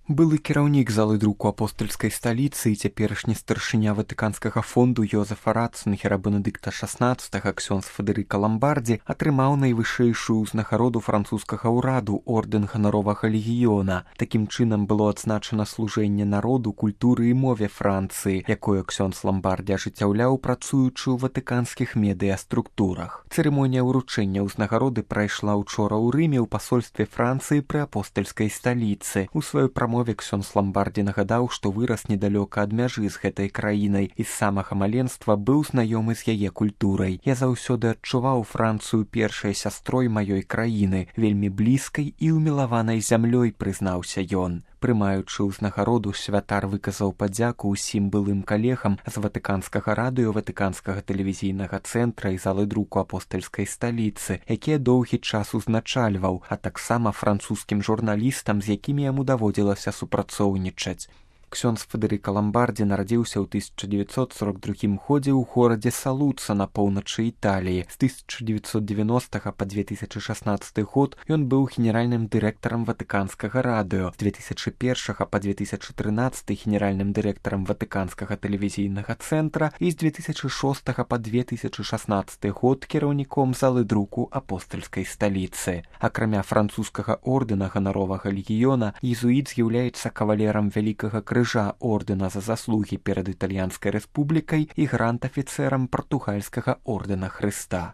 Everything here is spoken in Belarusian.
Былы кіраўнік залы друку апостальскай сталіцы і цяперашні старшыня ватыканскага фонду Йозефа Ратцынгера Бенедыкта XVI ксёндз Федэрыка Ламбардзі атрымаў найвышэйшую ўзнагароду французскага ўраду ордэн ганаровага легіёна. Такім чынам было адзначана служэнне народу, культуры і мове Францыі, якое ксёндз Ламбардзі ажыццяўляў, працуючы ў ватыканскіх медыяструктурах. Цырымонія ўручэння ўзнагароды прайшла учора ў Рыме ў пасольстве Францыі пры апостальскай сталіцы. У сваёй прамове ксёндз Ламбардзі нагадаў, што вырас недалёка ад мяжы з гэтай краінай і з самага маленства быў знаёмы з яе культурай. Я заўсёды адчуваў Францыю першай сястрой маёй краіны, вельмі блізкай і ўмілаванай зямлёй, прызнаўся ён. Прымаючы ўзнагароду, святар выказаў падзяку ўсім былым калегам з ватыканскага радыё, ватыканскага тэлевізійнага цэнтра і залы друку апостальскай сталіцы, якія доўгі час узначальваў, а таксама французскім журналістам, з якімі яму даводзілася супрацоўнічаць. Ксёндз Федэрыка Ламбардзі нарадзіўся ў 1942 годзе ў горадзе Салуца на поўначы Італіі. З 1990 па 2016 год ён быў генеральным дырэктарам ватыканскага радыё, з 2001 па 2013 генеральным дырэктарам ватыканскага тэлевізійнага цэнтра і з 2006 па 2016 год кіраўніком залы друку апостальскай сталіцы. Акрамя французскага ордэна ганаровага легіёна, езуіт з'яўляецца кавалерам вялікага крыжа ордэна за заслугі перад Італьянскай рэспублікай і грант-афіцэрам партугальскага ордэна Хрыста.